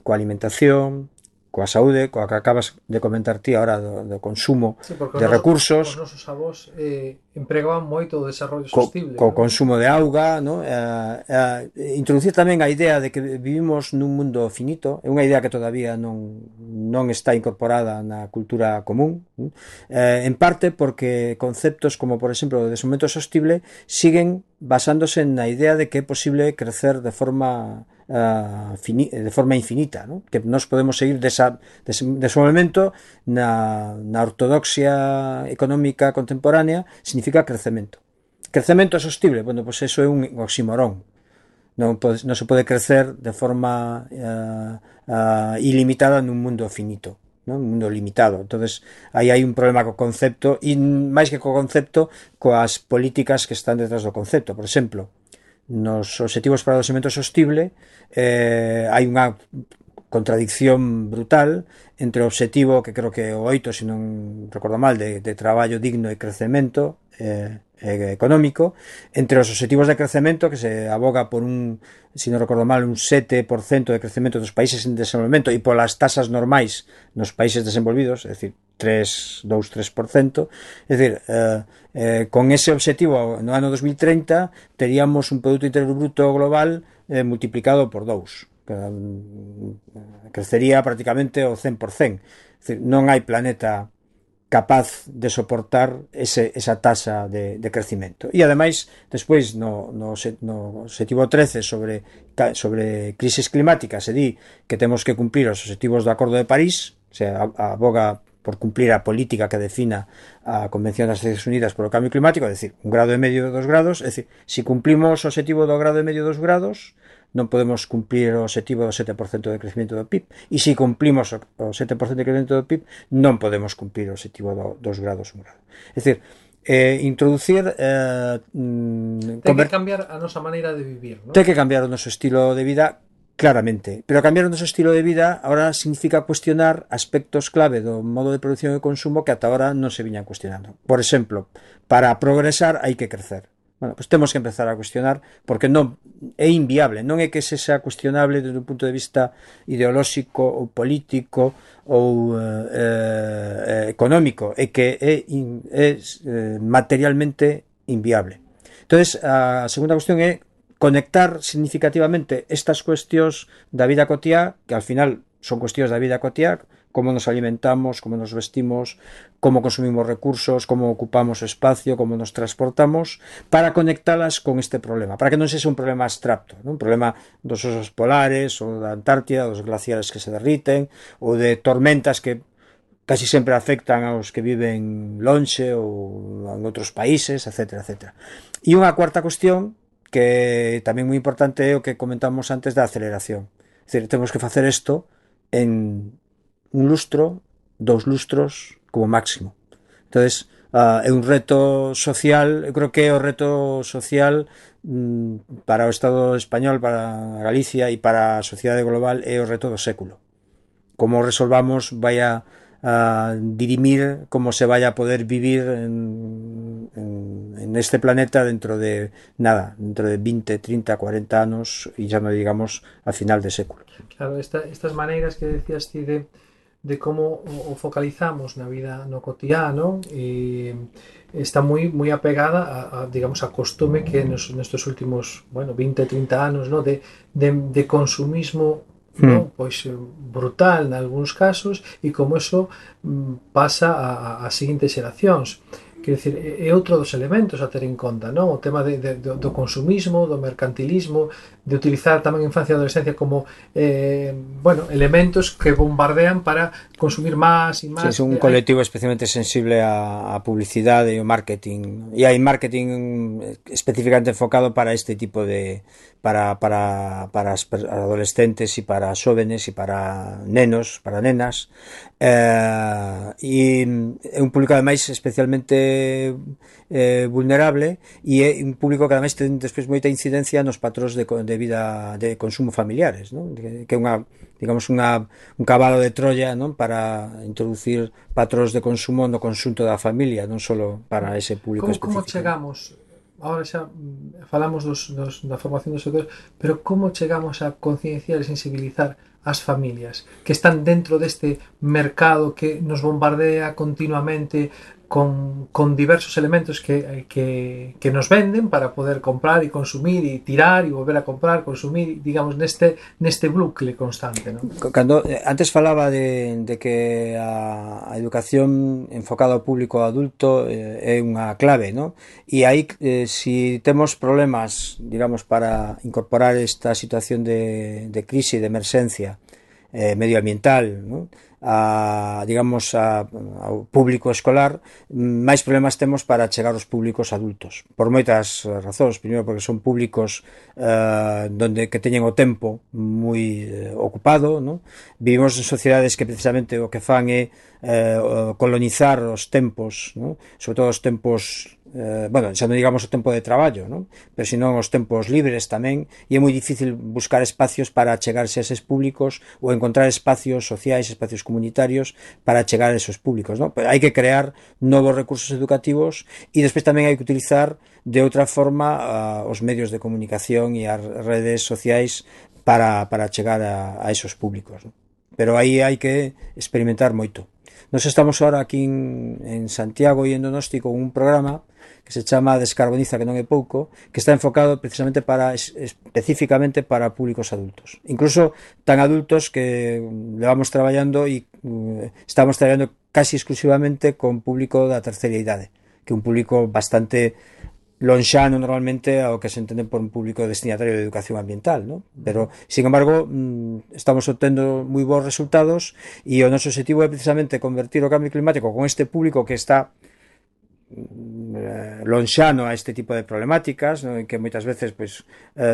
coa alimentación, coa saúde, coa que acabas de comentar ti ahora do consumo de recursos. Os nosos avós empregaban moito o desarrollo sostible. Co consumo de auga, ¿no? Introducir tamén a idea de que vivimos nun mundo finito, é unha idea que todavía non está incorporada na cultura común, en parte porque conceptos como, por exemplo, o desenvolvemento sostible siguen basándose na idea de que é posible crecer de forma de forma infinita, ¿no? Que nos podemos seguir dese momento na ortodoxia económica contemporánea significa crecemento. Crecemento é sostible, bueno, pues eso é un oxímoron. Non se pode crecer de forma ilimitada nun mundo finito, ¿no? Un mundo limitado. Entonces aí hai un problema co concepto, e máis que co concepto, coas políticas que están detrás do concepto. Por exemplo, nos obxectivos para o desenvolvemento sostible hai unha contradicción brutal entre o obxectivo, que creo que o 8, se non recordo mal, de traballo digno e crecemento económico, entre os obxectivos de crecemento, que se aboga por se non recordo mal, un 7% de crecemento dos países en desenvolvemento e polas tasas normais nos países desenvolvidos, é dicir, 2-3%, é dicir, con ese obxectivo no ano 2030 teríamos un Produto Interior Bruto global multiplicado por 2, crecería prácticamente o 100%. É dicir, non hai planeta capaz de soportar esa tasa de crecimento. E ademais, despois no obxectivo 13 sobre crisis climática se di que temos que cumplir os obxectivos do Acordo de París, se aboga por cumplir a política que defina a Convención das Nacións Unidas por o Cambio Climático, é dicir, 1,5 grados de 2 grados, é dicir, se cumplimos o obxectivo do 1,5 grados de 2 grados, non podemos cumplir o obxectivo do 7% de crecemento do PIB, e se cumplimos o 7% de crecemento do PIB, non podemos cumplir o obxectivo do 2 grados, 1 grado. É dicir, introducir ten que cambiar a nosa maneira de vivir, ¿no? Ten que cambiar o noso estilo de vida, claramente, pero cambiar o noso estilo de vida ahora significa cuestionar aspectos clave do modo de producción e consumo que ata ahora non se viñan cuestionando. Por exemplo, para progresar hai que crecer. Bueno, pues temos que empezar a cuestionar, porque non é inviable, non é que se sea cuestionable desde un punto de vista ideolóxico ou político ou económico, é que é materialmente inviable. Entonces, a segunda cuestión é conectar significativamente estas cuestións da vida cotiá, que al final son cuestións da vida cotiá, como nos alimentamos, como nos vestimos, como consumimos recursos, como ocupamos espacio, como nos transportamos, para conectalas con este problema, para que non sexa un problema abstracto, ¿no? Un problema dos osos polares, ou da Antártida, dos glaciares que se derriten, ou de tormentas que casi sempre afectan aos que viven lonxe ou en outros países, etc. etc. E unha cuarta cuestión, que tamén moi importante, é o que comentamos antes da aceleración. É dicir, temos que facer isto en un lustro, 2 lustros como máximo. Entonces, é un reto social, eu creo que é o reto social para o Estado español, para Galicia e para a sociedade global, é o reto do século. Como resolvamos vai a dirimir como se vai a poder vivir en este planeta dentro de 20, 30, 40 anos, e xa non digamos a final de século. Claro, estas maneiras que decías ti de como o focalizamos na vida no cotidiano, está moi apegada a digamos, a costume que nestes últimos 20, 30 anos, ¿no? de consumismo, ¿no? Pois brutal nalgúns casos, e como eso pasa a seguintes xeracións. Quer dizer, é outro dos elementos a ter en conta, non? O tema do consumismo, do mercantilismo, de utilizar tamén a infancia e a adolescencia como elementos que bombardean para consumir máis e máis. Sí, é un colectivo especialmente sensible á publicidade e ao marketing, e hai marketing especificamente enfocado para este tipo de para as adolescentes e para xóvenes e para nenos, para nenas, e é un público ademais especialmente vulnerable, e é un público que ademais ten despois moita incidencia nos patróns de vida de consumo familiares, non? Que é un cabalo de Troya, non? Para introducir patróns de consumo no conxunto da familia, non só para ese público específico. Como chegamos, agora xa falamos da formación dos sectores, pero como chegamos a concienciar e sensibilizar as familias que están dentro deste mercado que nos bombardea continuamente con diversos elementos que nos venden para poder comprar e consumir e tirar e volver a comprar, consumir, digamos, neste bucle constante, ¿no? Cando, antes falaba de que a educación enfocada ao público adulto é unha clave, ¿no? E aí, si temos problemas, digamos, para incorporar esta situación de crise, de emerxencia medioambiental, ¿no? Ao público escolar, máis problemas temos para chegar aos públicos adultos, por moitas razóns. Primeiro, porque son públicos donde que teñen o tempo moi ocupado, ¿no? Vivimos en sociedades que precisamente o que fan é colonizar os tempos, ¿no? Sobre todo os tempos, bueno, xa non digamos o tempo de traballo, ¿no? Pero senón os tempos libres tamén, e é moi difícil buscar espacios para chegarse a eses públicos ou encontrar espacios sociais, espacios comunitarios para chegar a esos públicos, ¿no? Pero hai que crear novos recursos educativos e despois tamén hai que utilizar de outra forma os medios de comunicación e as redes sociais para chegar a esos públicos, ¿no? Pero aí hai que experimentar moito. Nos estamos ahora aquí en Santiago e en Donosti con un programa que se chama Descarboniza, que non é pouco, que está enfocado precisamente específicamente para públicos adultos. Incluso tan adultos que levamos traballando e estamos traballando casi exclusivamente con público da terceira idade, que é un público bastante lonxano normalmente ao que se entende por un público destinatario de educación ambiental, ¿no? Pero, sin embargo, estamos obtendo moi bons resultados e o noso objetivo é precisamente convertir o cambio climático con este público que está lonxano a este tipo de problemáticas, ¿no? En que moitas veces pues,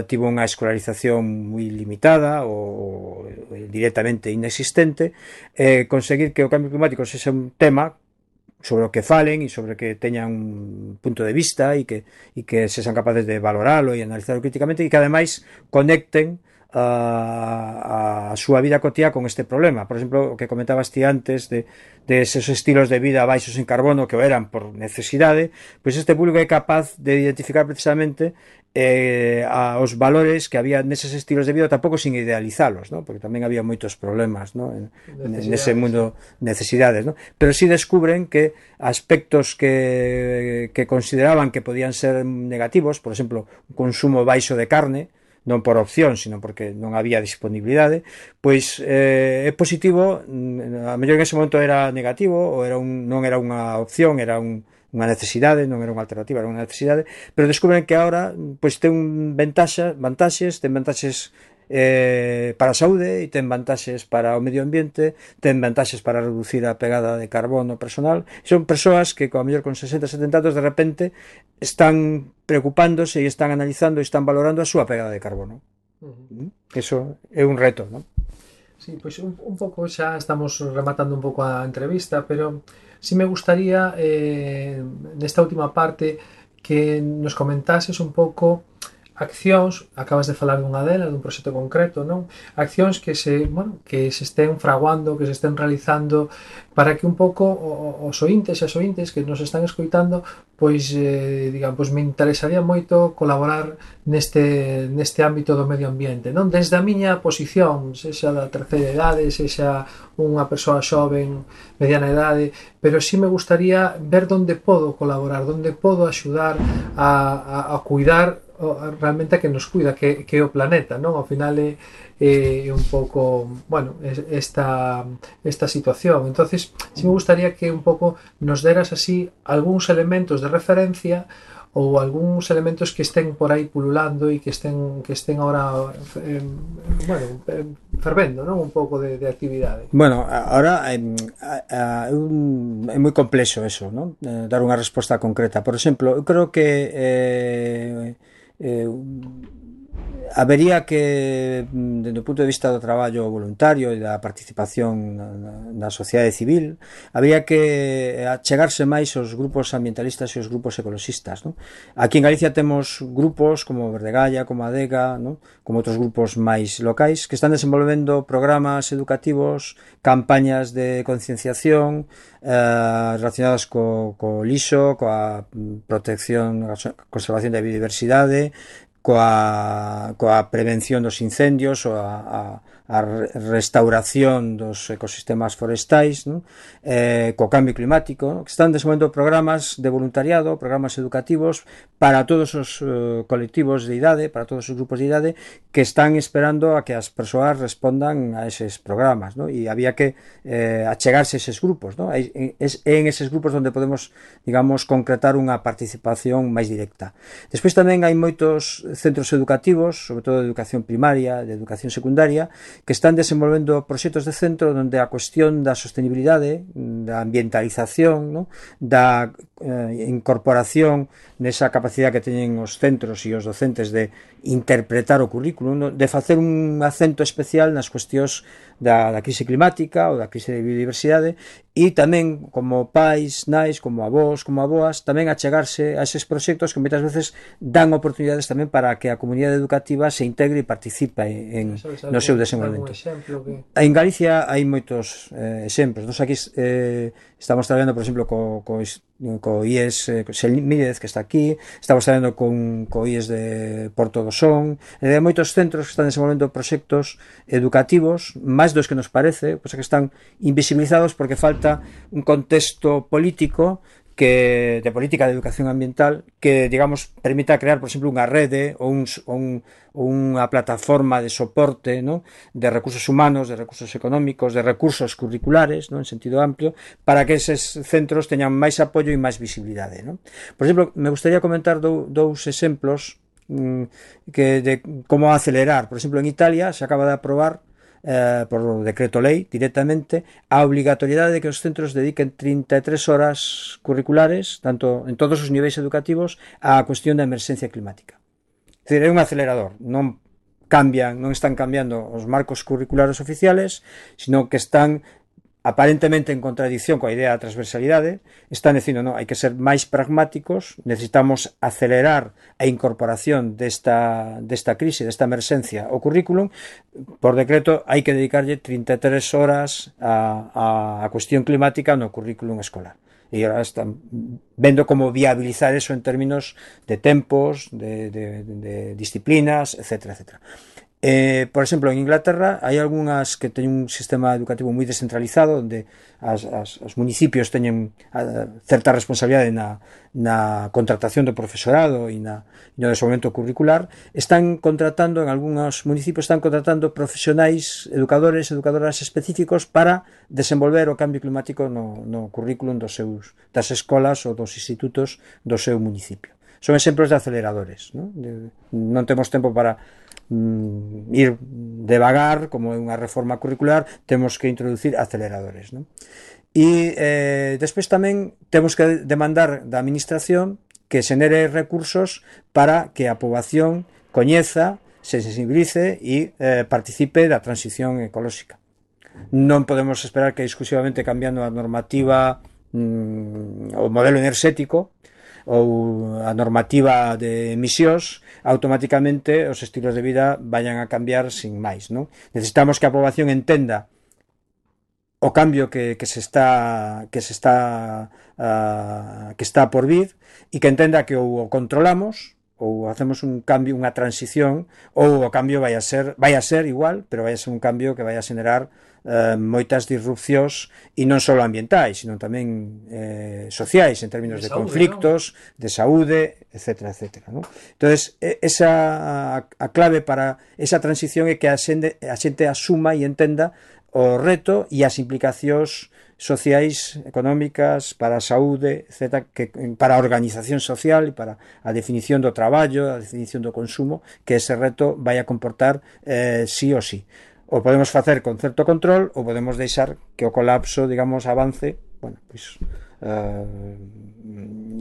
tivo unha escolarización moi limitada ou directamente inexistente, conseguir que o cambio climático sexa un tema sobre o que falen e sobre que teñan un punto de vista e que sexan capaces de valoralo e analizarlo críticamente e que ademais conecten a súa vida cotiá con este problema. Por exemplo, o que comentabas ti antes de esos estilos de vida baixos en carbono que o eran por necesidade, pois este público é capaz de identificar precisamente os valores que había neses estilos de vida, tampouco sin idealizalos, ¿no? Porque tamén había moitos problemas, ¿no? Nese mundo, necesidades, ¿no? Pero si descubren que aspectos que consideraban que podían ser negativos, por exemplo, un consumo baixo de carne, non por opción, sino porque non había disponibilidade, pois é positivo, a mellor en ese momento era negativo, ou non era unha opción, era unha necesidade, non era unha alternativa, era unha necesidade, pero descubren que agora pois ten vantaxes para a saúde e ten vantaxes para o medio ambiente, ten vantaxes para reducir a pegada de carbono personal. Son persoas que, a mellor con 60, 70 anos, de repente están preocupándose e están analizando e están valorando a súa pegada de carbono. Eso é un reto, non? Sí, pois un pouco xa estamos rematando un pouco a entrevista, pero si me gustaría nesta última parte que nos comentases un pouco accións, acabas de falar dunha delas, dun proxecto concreto, non? Accións que se estén fraguando, que se estén realizando para que un pouco os ointes e as ointes que nos están escoitando, pois, digamos, me interesaría moito colaborar neste ámbito do medio ambiente, non? Desde a miña posición, sexa da terceira idade, sexa unha persoa xoven, mediana idade, pero sí me gustaría ver onde podo colaborar, onde podo axudar a cuidar realmente a que nos cuida, que é o planeta, non? Ao final é un pouco, bueno, esta situación. Entonces, si me gustaría que un pouco nos deras así algúns elementos de referencia ou algúns elementos que estén por aí pululando e que estén ahora fervendo, non? Un pouco de actividade. Bueno, ahora é moi complexo eso, non? Dar unha resposta concreta. Por exemplo, eu creo que habería que, desde o punto de vista do traballo voluntario e da participación na sociedade civil, habría que achegarse máis aos grupos ambientalistas e os grupos ecologistas, non? Aquí en Galicia temos grupos como Verdegalla, como Adega, non? Como outros grupos máis locais que están desenvolvendo programas educativos, campañas de concienciación relacionadas co lixo, coa protección, conservación da biodiversidade, coa prevención dos incendios ou a restauración dos ecosistemas forestais, non? Co cambio climático, non? Que están desenvolvendo programas de voluntariado, programas educativos para todos os colectivos de idade, para todos os grupos de idade que están esperando a que as persoas respondan a eses programas, non? E había que achegarse a eses grupos, non? É en eses grupos onde podemos, digamos, concretar unha participación máis directa. Despois tamén hai moitos centros educativos, sobre todo de educación primaria, de educación secundaria, que están desenvolvendo proxectos de centro onde a cuestión da sostenibilidade, da ambientalización, non? Da incorporación nesa capacidade que teñen os centros e os docentes de interpretar o currículum, non? De facer un acento especial nas cuestións da crise climática ou da crise de biodiversidade, e tamén como pais, nais, como avós, como aboas, tamén achegarse a eses proxectos que moitas veces dan oportunidades tamén para que a comunidade educativa se integre e participe no seu desenvolvemento. En Galicia hai moitos exemplos. Nos aquí estamos traballando, por exemplo, co IES Selmírez, que está aquí, estamos traballando co IES de Porto do Son, hai moitos centros que están desenvolvendo proxectos educativos, máis dos que nos parece, pois que están invisibilizados porque falta un contexto político de política de educación ambiental que, digamos, permita crear, por exemplo, unha rede ou unha plataforma de soporte, ¿no? De recursos humanos, de recursos económicos, de recursos curriculares, ¿no? En sentido amplio, para que eses centros teñan máis apoio e máis visibilidade, ¿no? Por exemplo, me gustaría comentar dous exemplos de como acelerar. Por exemplo, en Italia se acaba de aprobar por decreto lei directamente a obligatoriedade de que os centros dediquen 33 horas curriculares, tanto en todos os niveis educativos, á cuestión da emerxencia climática. É dicir, é un acelerador, non están cambiando os marcos curriculares oficiales, sino que están aparentemente en contradicción coa idea da transversalidade, están dicindo, non, hai que ser máis pragmáticos, necesitamos acelerar a incorporación desta crise, desta emerxencia ao currículum. Por decreto hai que dedicarlle 33 horas a cuestión climática no currículum escolar. E agora están vendo como viabilizar eso en términos de tempos, de disciplinas, etc. Por exemplo, en Inglaterra hai algunhas que teñen un sistema educativo moi descentralizado, onde os municipios teñen certa responsabilidade na contratación do profesorado e no desenvolvemento curricular. En algúns municipios están contratando profesionais, educadoras específicos para desenvolver o cambio climático no currículum das escolas ou dos institutos do seu municipio. Son exemplos de aceleradores, non temos tempo para ir devagar, como é unha reforma curricular, temos que introducir aceleradores, non? E despois tamén temos que demandar da administración que xenere recursos para que a poboación coñeza, se sensibilice e participe da transición ecolóxica. Non podemos esperar que exclusivamente cambiando a normativa, o modelo enerxético ou a normativa de emisións, automáticamente os estilos de vida vayan a cambiar sin máis, non? Necesitamos que a poboación entenda o cambio que está por vir, e que entenda que ou o controlamos ou hacemos un cambio, unha transición, ou o cambio vai a ser igual, pero vai a ser un cambio que vai a xenerar moitas disrupcións, e non só ambientais, sino tamén sociais, en términos de conflictos, de saúde, etc. ¿no? Entonces, a clave para esa transición é que a xente asuma e entenda o reto e as implicacións sociais, económicas, para a saúde, etc., para a organización social e para a definición do traballo, a definición do consumo, que ese reto vai a comportar sí ou sí. O podemos facer con certo control, ou podemos deixar que o colapso, digamos, avance, bueno, pois,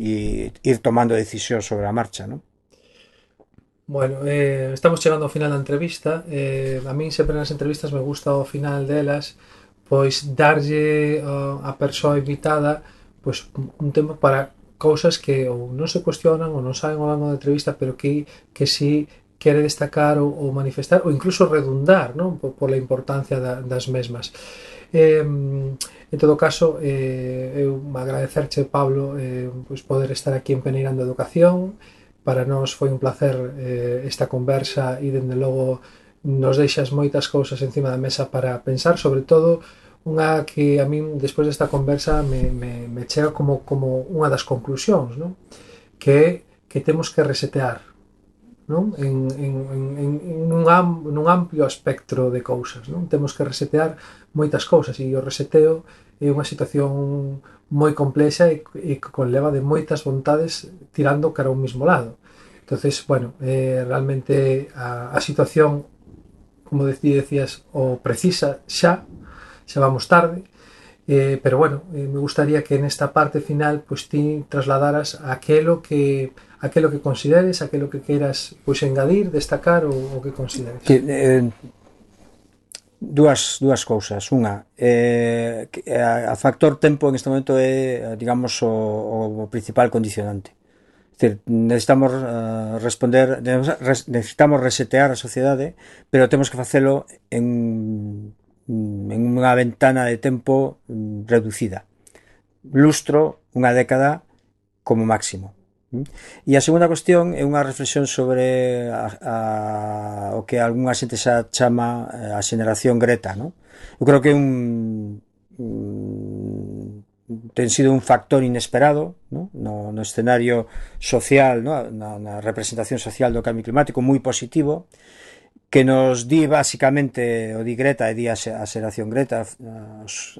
e ir tomando decisións sobre a marcha, non? Bueno, estamos chegando ao final da entrevista. A min sempre nas entrevistas me gusta ao final delas pois darlle a persoa invitada pois un tema para cousas que ou non se cuestionan ou non saben ao longo da entrevista, pero que si quere destacar ou manifestar ou incluso redundar, non? Pola importancia das mesmas. En todo caso, eu agradecerche, Pablo, pois poder estar aquí en Peneirando Educación. Para nós foi un placer esta conversa e, dende logo, nos deixas moitas cousas encima da mesa para pensar, sobre todo unha que a min despois desta conversa me chega como unha das conclusións, non? Que temos que resetear, non? Nun amplio espectro de cousas, non? Temos que resetear moitas cousas, e o reseteo é unha situación moi complexa e que conleva de moitas vontades tirando cara a un mismo lado. Entonces, bueno, realmente a situación, como decías, o precisa xa vamos tarde, pero bueno, me gustaría que nesta parte final pues ti trasladaras aquelo que consideres, aquelo que queiras pues engadir, destacar o que consideres. Dúas cousas. Unha, a factor tempo en este momento é, digamos, o principal condicionante. É dicir, necesitamos necesitamos resetear a sociedade, pero temos que facelo en unha ventana de tempo reducida. Lustro, unha década como máximo. E a segunda cuestión é unha reflexión sobre o que algunha xente xa chama a xeneración Greta, non? Eu creo que ten sido un factor inesperado, ¿no? No escenario social, ¿no? na representación social do cambio climático, moi positivo, que nos di basicamente, o di Greta e di a xeración Greta,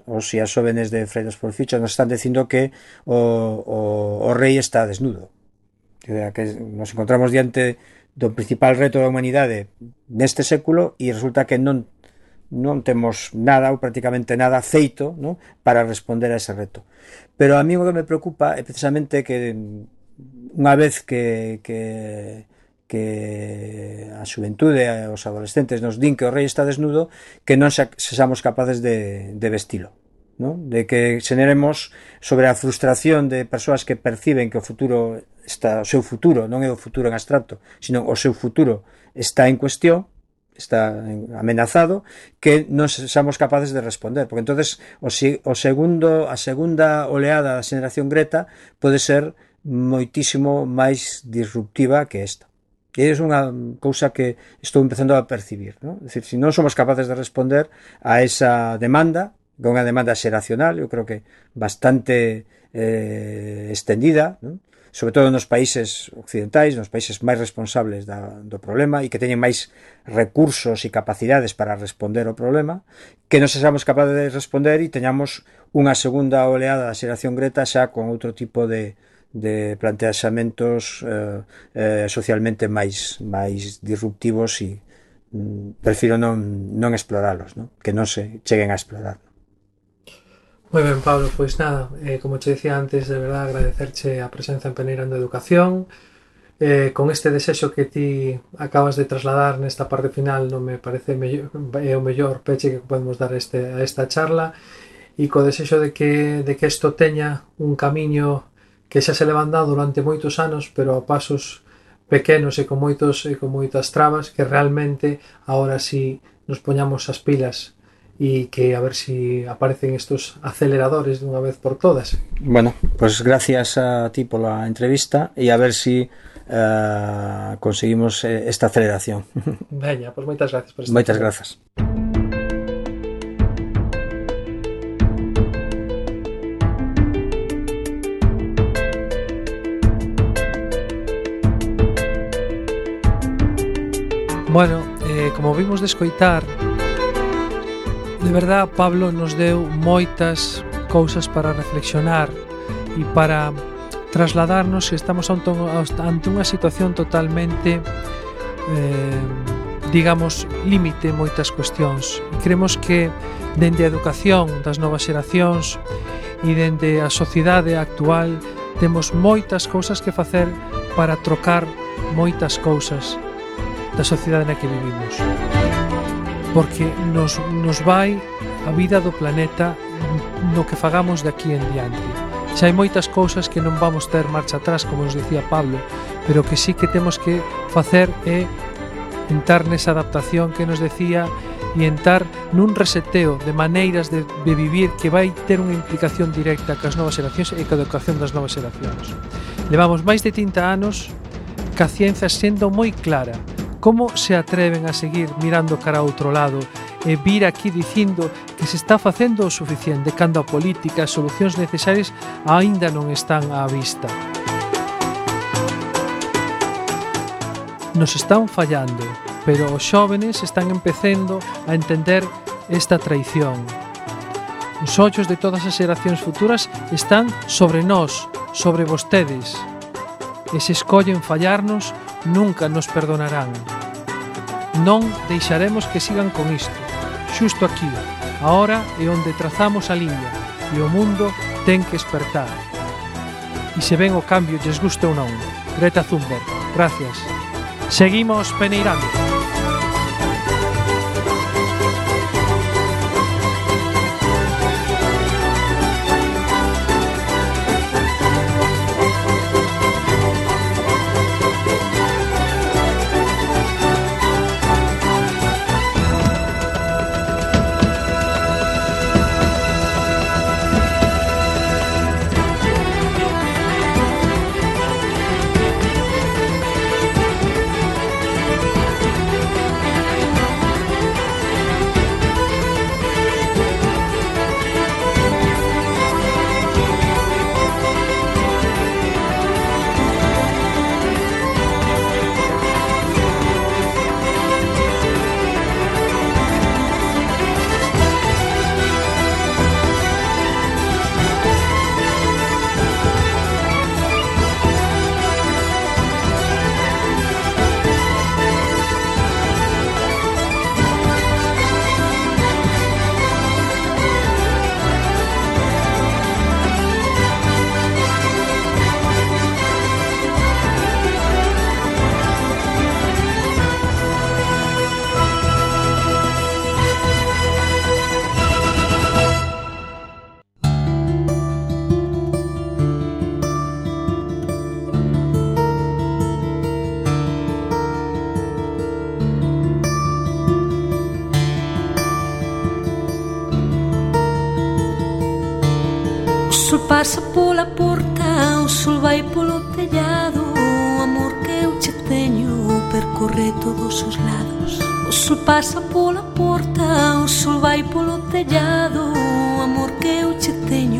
os e as jóvenes de Fridays for Future nos están dicindo que o rei está desnudo, que nos encontramos diante do principal reto da humanidade neste século e resulta que non temos nada ou prácticamente nada feito, ¿no? Para responder a ese reto. Pero a mí o que me preocupa é precisamente que unha vez que a xuventude, os adolescentes nos din que o rei está desnudo, que non sexamos capaces de vestilo, ¿no? De que xeneremos sobre a frustración de persoas que perciben que o seu futuro non é o futuro en abstracto, sino o seu futuro está en cuestión, está amenazado, que non sexamos capaces de responder, porque entonces a segunda oleada da xeración Greta pode ser moitísimo máis disruptiva que esta. E é unha cousa que estou empezando a percibir, ¿no? É dicir, se non somos capaces de responder a esa demanda, que é unha demanda xeracional, eu creo que bastante extendida, ¿no? Sobre todo nos países occidentais, nos países máis responsables do problema e que teñen máis recursos e capacidades para responder ao problema, que non sexamos capaces de responder e teñamos unha segunda oleada da xeración Greta xa con outro tipo de planteamentos socialmente máis disruptivos e prefiro non exploralos, ¿no? Que non se cheguen a explorar. Moi ben, Pablo, pois nada, como che decía antes, de verdad agradecerche a presenza en Peneirando Educación, con este desexo que ti acabas de trasladar nesta parte final, non me parece é o mellor peche que podemos dar a esta charla, e co desexo de que isto teña un camiño que xa se levan dado durante moitos anos, pero a pasos pequenos e con moitas trabas, que realmente agora si nos poñamos as pilas e que a ver si aparecen estos aceleradores dunha vez por todas. Bueno, pues gracias a ti pola entrevista e a ver si conseguimos esta aceleración. Veña, pues moitas gracias por estar. Moitas grazas. Bueno, como vimos de escoitar, de verdad Pablo nos deu moitas cousas para reflexionar e para trasladarnos que estamos ante unha situación totalmente digamos, límite moitas cuestións. E creemos que dende a educación das novas xeracións e dende a sociedade actual temos moitas cousas que facer para trocar moitas cousas da sociedade na que vivimos, porque nos vai a vida do planeta no que fagamos de aquí en diante. Xa hai moitas cousas que non vamos ter marcha atrás, como nos decía Pablo, pero que sí que temos que facer é entrar nesa adaptación que nos decía e entrar nun reseteo de maneiras de vivir que vai ter unha implicación directa cas novas xeracións e ca educación das novas xeracións. Levamos máis de 30 anos ca ciencia sendo moi clara Como se atreven a seguir mirando cara a outro lado e vir aquí dicindo que se está facendo o suficiente cando a política e as solucións necesarias aínda non están á vista? Nos están fallando, pero os xóvenes están empecendo a entender esta traición. Os ollos de todas as xeracións futuras están sobre nós, sobre vostedes. E se escollen fallarnos, nunca nos perdonarán. Non deixaremos que sigan con isto. Xusto aquí, agora é onde trazamos a liña e o mundo ten que espertar. E se ven o cambio lles guste ou non. Greta Thunberg, gracias. Seguimos peneirando. O sol pasa pola porta, o sol vai polo tellado. O amor que eu che teño percorre todos os lados. O sol pasa pola porta, o sol vai polo tellado. O amor que eu che teño